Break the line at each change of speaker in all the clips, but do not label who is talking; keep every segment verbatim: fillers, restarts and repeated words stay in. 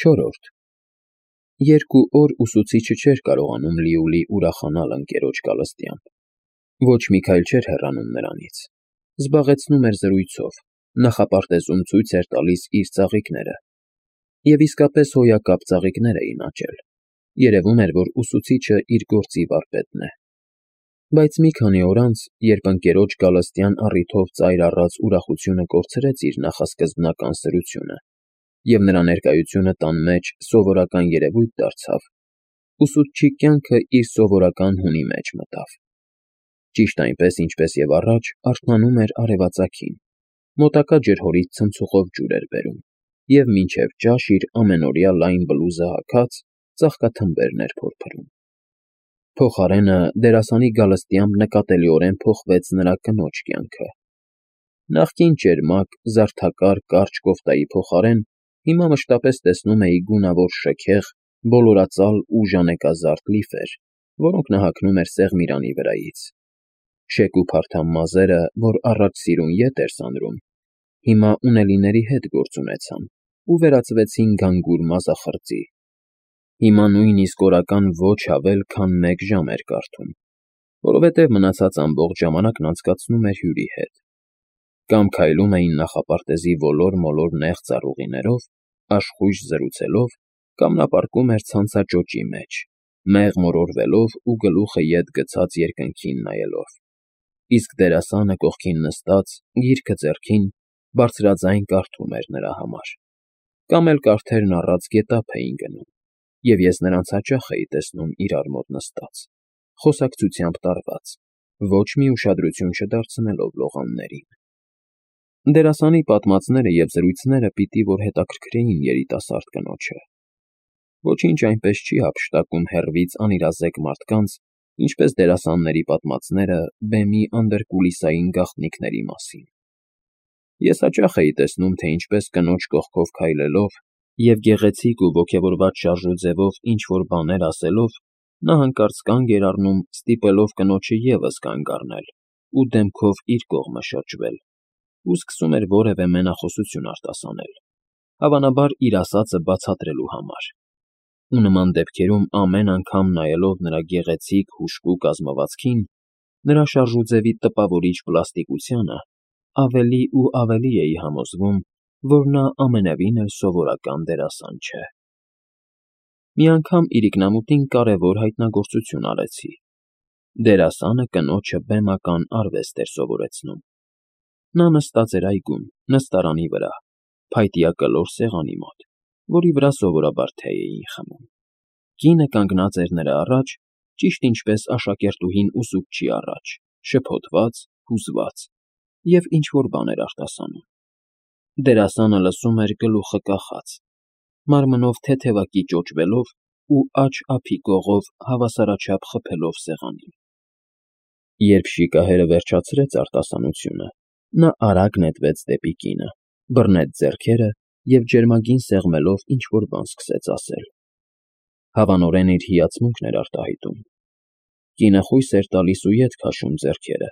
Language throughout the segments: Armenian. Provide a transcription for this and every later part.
Չորրորդ Երկու օր ուսուցիչը չէր կարողանում լիովին ուրախանալ ընկերոջ գալստյամբ, ոչ մի քայլ չէր հեռանում նրանից, զբաղեցնում էր զրույցով, նախապարտեզում ցույց էր տալիս իր ծաղիկները, և իսկապես հոյակապ ծաղիկներ էին աճել, երևում էր, որ ուսուցիչը իր գործի վարպետն է, բայց մի քանի օր անց, երբ ընկերոջ գալստյան առիթով ծայր առած ուրախությունը կորցրեց իր նախասկզբնական սրությունը, և նրա ներկայությունը տան մեջ սովորական երևույթ դարձավ, ուսուցչի կյանքը իր սովորական հունի մեջ մտավ, ճիշտ այնպես, ինչպես և առաջ արթնանում էր արևածագին, մոտակա ջրհորից ցնցուղով ջուր էր բերում և մինչև ճաշ իր ամենօրյա լայն բլուզը հագած ծաղկաթմբերն էր փորփրում։ Փոխարենը դերասանի գալստյամբ նկատելիորեն փոխվեց նրա կնոջ կյանքը. նախկին ճերմակ, զարդաքար կարճ կոֆտայի փոխարեն հիմա մշտապես տեսնում էի գունավոր շքեղ, բոլորածալ ու ժանեկազարդ լիֆեր, որոնք նա հագնում էր սեղմիրանի վրայից, շեկ ու փարթամ մազերը, որ առաջ սիրուն ետ էր սանրում, հիմա ունելիների հետ գործ ունեցան ու վերածվեցին գանգուր մազախրծի, հիմա նույնիսկ օրական ոչ ավել, քան մեկ ժամ էր կարդում, որովհետև մնացած ամբողջ ժամանակն անցկացնում էր հյուրի հետ, կամ քայլում էին նախապարտեզի ոլոր֊մոլոր նեղ ծառուղիներով, աշխույժ զրուցելով, կամ նա պառկում էր ցանցաճոճի մեջ, մեղ մորորվելով ու գլուխը ետ գցած երկնքին նայելով, իսկ դերասանը կողքին նստած, գիրքը ձեռքին, բարձրաձայն կարդում էր նրա համար, կամ էլ կարդերն առած գետափ էին գնում, և ես նրանց հաճախ էի տեսնում իրար մոտ նստած, խոսակցությամբ տարված, ոչ մի ուշադրություն չդարձնելով լողաններին։ Դերասանի պատմածները և զրույցները պիտի որ հետաքրքրեին երիտասարդ կնոջը, ոչինչ այնպես չի հափշտակում հեռվից անիրազեկ մարդկանց, ինչպես դերասանների պատմածները բեմի անդրկուլիսային գաղտնիքների մասին։ Ես հաճախ էի տեսնում, թե ինչպես կնոջ կողքով քայլելով և գեղեցիկ ու ոգևորված շարժուձևով ինչ֊որ բաներ ասելով, նա հանկարծ կանգ էր առնում, ստիպելով կնոջը ևս կանգ առնել ու դեմքով իր կողմը շրջվել ու սկսում էր որևէ մենախոսություն արտասանել, հավանաբար իր ասածը բացատրելու համար, ու նման դեպքերում ամեն անգամ նայելով նրա գեղեցիկ, հուժկու կազմվածքին, նրա շարժուձևի տպավորիչ պլաստիկությանը, ավելի ու ավելի էի համոզվում, որ նա ամենևին էլ սովորական դերասան չէ։ Մի անգամ իրիկնամուտին կարևոր հայտնագործություն արեցի. դերասանը կնոջը բեմական արվեստ էր սովորեցնում։ Նա նստած էր այգում, նստարանի վրա, փայտյա կլոր սեղանի մոտ, որի վրա սովորաբար թե էին խմում։ Կինը կանգնած էր նրա առաջ, ճիշտ ինչպես աշակերտուհին ուսուցչի առաջ, շփոթված, հուզված և ինչ֊որ բան էր արտասանում։ Դերասանը լսում էր գլուխը կախած, մարմնով թեթևակի ճոճվելով ու աջ֊ափի կողով հավասարաչափ խփելով սեղանին։ Երբ շիկահերը վերջացրեց արտասանությունը, նա արագ նետվեց դեպի կինը, բռնեց ձեռքերը և ջերմագին սեղմելով ինչ֊որ բան սկսեց ասել։ Հավանորեն իր հիացմունքն էր արտահայտում։ Կինը խույս էր տալիս ու ետ քաշում ձեռքերը,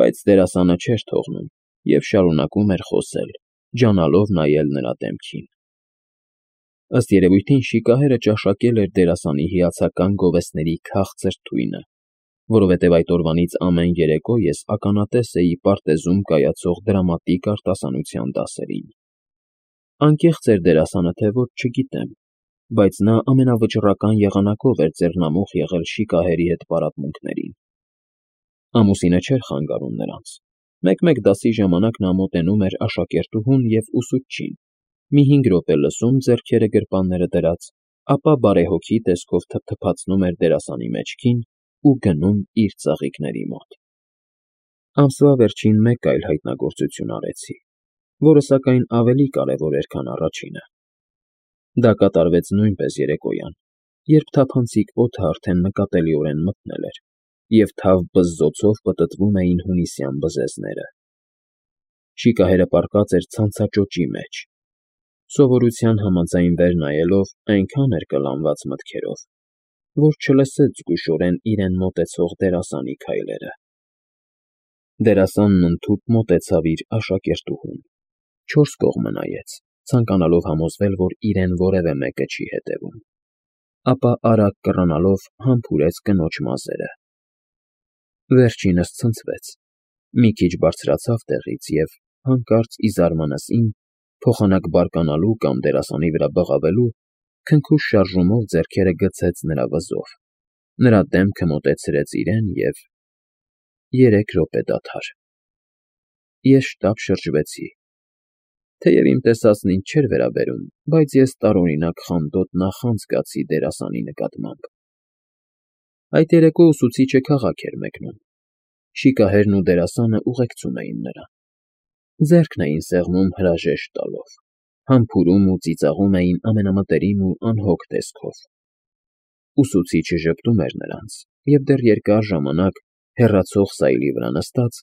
բայց դերասանը չէր թողնում և շարունակում էր խոսել, ջանալով նայել նրա դեմքին։ Ըստ երևույթին շիկահերը ճաշակել էր դերասանի հիացական գովեստների քաղցր թույնը, որովհետև այդ օրվանից ամեն երեկո ես ականատես էի պարտեզում կայացող դրամատիկ արտասանության դասերին։ Անկեղծ էր դերասանը, թե ոչ, չգիտեմ, բայց նա ամենավճռական եղանակով էր ձեռնամուխ եղել շիկահերի հետ պարապմունքներին։ Ամուսինը չէր խանգարում նրանց, մեկ֊մեկ դասի ժամանակ նա մոտենում էր աշակերտուհուն և ուսուցչին, մի հինգ րոպե լսում ձեռքերը գրպանները դրած, ապա բարեհոգի տեսքով թփթփացնում էր դերասանի մեջքին ու գնում իր ծաղիկների մոտ։ Ամսվա վերջին մեկ այլ հայտնագործություն արեցի, որը, սակայն, ավելի կարևոր էր, քան առաջինը։ Դա կատարվեց նույնպես երեկոյան, երբ թափանցիկ օդը արդեն նկատելիորեն մթնել էր, և թավ բզզոցով պտտվում էին հունիսյան բզեզները։ Շիկահերը պառկած էր ցանցաճոճի մեջ, սովորության համաձայն վեր նայելով այնքան էր կլանված մտքերով, որ չլսեց զգուշորեն իրեն մոտեցող դերասանի քայլերը։ Դերասանն ընդհուպ մոտեցավ իր աշակերտուհուն, չորս կողմը նայեց, ցանկանալով համոզվել, որ իրեն որևէ մեկը չի հետևում, ապա արագ կռանալով համբուրեց կնոջ մազերը։ Վերջինս ցնցվեց, մի քիչ բարձրացավ տեղից և, հանկարծ ի զարմանալին, փոխանակ բարկանալու կամ դերասանի վրա բղավելու, քնքուշ շարժումով ձեռքերը գցեց նրա վզով, նրա դեմքը մոտեցրեց իրեն և… Երեք րոպե դադար… Ես շտապ շրջվեցի. թեև իմ տեսածն ինձ չէր վերաբերում, բայց ես տարօրինակ խանդոտ նախանձ զգացի դերասանի նկատմամբ… Այդ երեկո ուսուցիչը քաղաք էր մեկնում, շիկահերն ու դերասանը ուղեկցում էին նրան, ձեռքն էին սեղմում հրաժեշտ տալով, համբուրում ու ծիծաղում էին ամենամտերիմ ու անհոգ տեսքով… Ուսուցիչը ժպտում էր նրանց և դեռ երկար ժամանակ, հեռացող սայլի վրա նստած,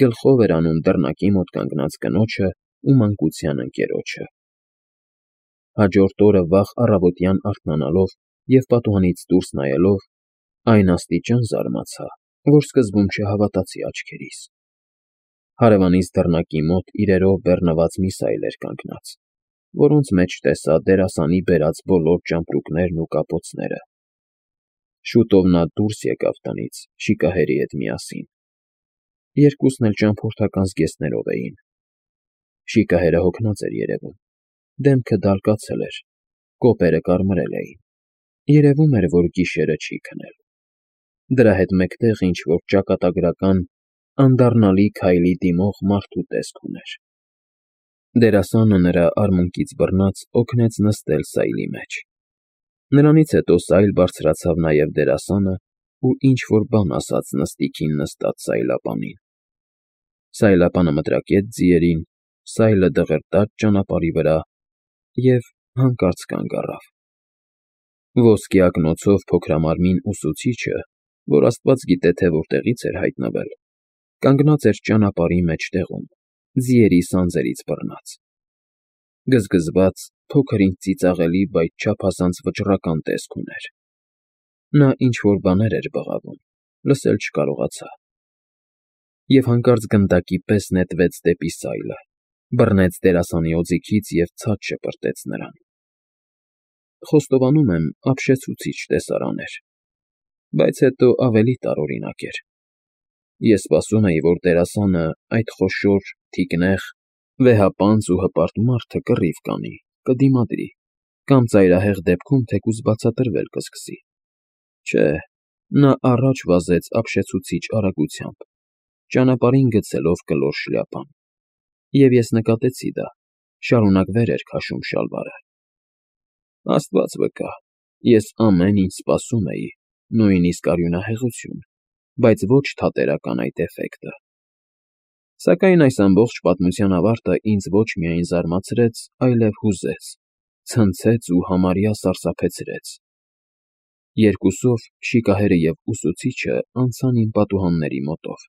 գլխով էր անում դռնակի մոտ կանգնած կնոջն ու մանկության ընկերոջը… Հաջորդ օրը վաղ առավոտյան արթնանալով և պատուհանից դուրս նայելով, այն աստիճան զարմացա, որ սկզբում չհավատացի աչքերիս… Հարևանիս դռնակի մոտ իրերով բեռնված մի սայլ էր կանգնած, որոնց մեջ տեսա դերասանի բերած բոլոր ճամպրուկներն ու կապոցները… Շուտով նա դուրս եկավ տնից շիկահերի հետ միասին… Երկուսն էլ ճամփորդական զգեստներով էին… Շիկահերը հոգնած էր երևում, դեմքը դալկացել էր, կոպերը կարմրել էին, երևում էր, որ գիշերը չի քնել… Դրա հետ մեկտեղ ինչ֊որ ճակատագրական, անդառնալի քայլի դիմող մարդու տեսք ուներ… Դերասանը, նրա արմունկից բռնած, օգնեց նստել սայլի մեջ… Նրանից հետո սայլ բարձրացավ նաև դերասանը ու ինչ֊որ բան ասաց նստիքին նստած սայլապանին… Սայլապանը մտրակեց ձիերին, սայլը դղրդաց ճանապարհի վրա և հանկարծ կանգ առավ… Ոսկե ակնոցով փոքրամարմին ուսուցիչը, որ աստված գիտե թե որտեղից էր հայտնվել, կանգնած էր ճանապարհի մեջտեղում, ձիերի սանձերից բռնած… Գզգզված, փոքր-ինչ ծիծաղելի, բայց չափազանց վճռական տեսք ուներ… Նա ինչ֊որ բաներ էր բղավում, լսել չկարողացա… Եվ հանկարծ գնդակի պես նետվեց դեպի սայլը, բռնեց դերասանի օձիքից և ցած շպրտեց նրան… Խոստովանում եմ, ապշեցուցիչ տեսարան էր, բայց հետո ավելի տարօրինակ էր… Ես սպասում էի, որ դերասանը, այդ խոշոր, թիկնեղ, վեհապանծ ու հպարտ մարդը կռիվ կանի, կդիմադրի կամ ծայրահեղ դեպքում թեկուզ բացատրվել կսկսի… Չէ, նա առաջ վազեց ապշեցուցիչ արագությամբ, ճանապարհին գցելով կլոր շլյապան… Եվ ես նկատեցի դա, շարունակ վեր էր քաշում շալվարը… Աստված վկա, ես ամեն ինչ սպասում էի, նույնիսկ արյունահեղություն, բայց ոչ թատերական այդ էֆեկտը… Սակայն այս ամբողջ պատմության ավարտը ինձ ոչ միայն զարմացրեց, այլև հուզեց, ցնցեց ու համարյա սարսափեցրեց… Երկուսով, շիկահերը և ուսուցիչը, անցան իմ պատուհանների մոտով,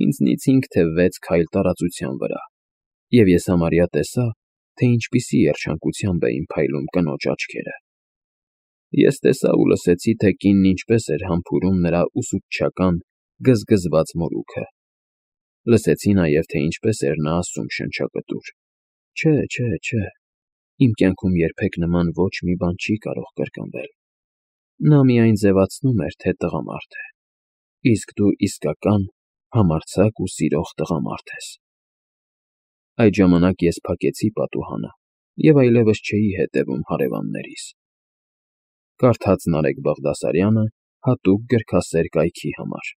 ինձնից հինգ թե վեց քայլ տարածության վրա, և ես համարյա տեսա, թե ինչպիսի երջանկությամբ էին փայլում կնոջ աչքերը… Ես տեսա ու լսեցի, թե կինն ինչպես էր համբուրում նրա ուսուցչական, գզգզված մորուքը… Լսեցի նաև, թե ինչպես էր նա ասում շնչակտուր. «Չէ, չէ, չէ, իմ կյանքում երբեք նման ոչ մի բան չի կարող կրկնվել… Նա միայն ձևացնում էր, թե տղամարդ է, իսկ դու իսկական, համարձակ ու սիրող տղամարդ ես»… Այդ ժամանակ ես փակեցի պատուհանը և այլևս չէի հետևում հարևաններիս… Կարդաց Նարեկ Բաղդասարյանը հատուկ գրքասեր կայքի համար։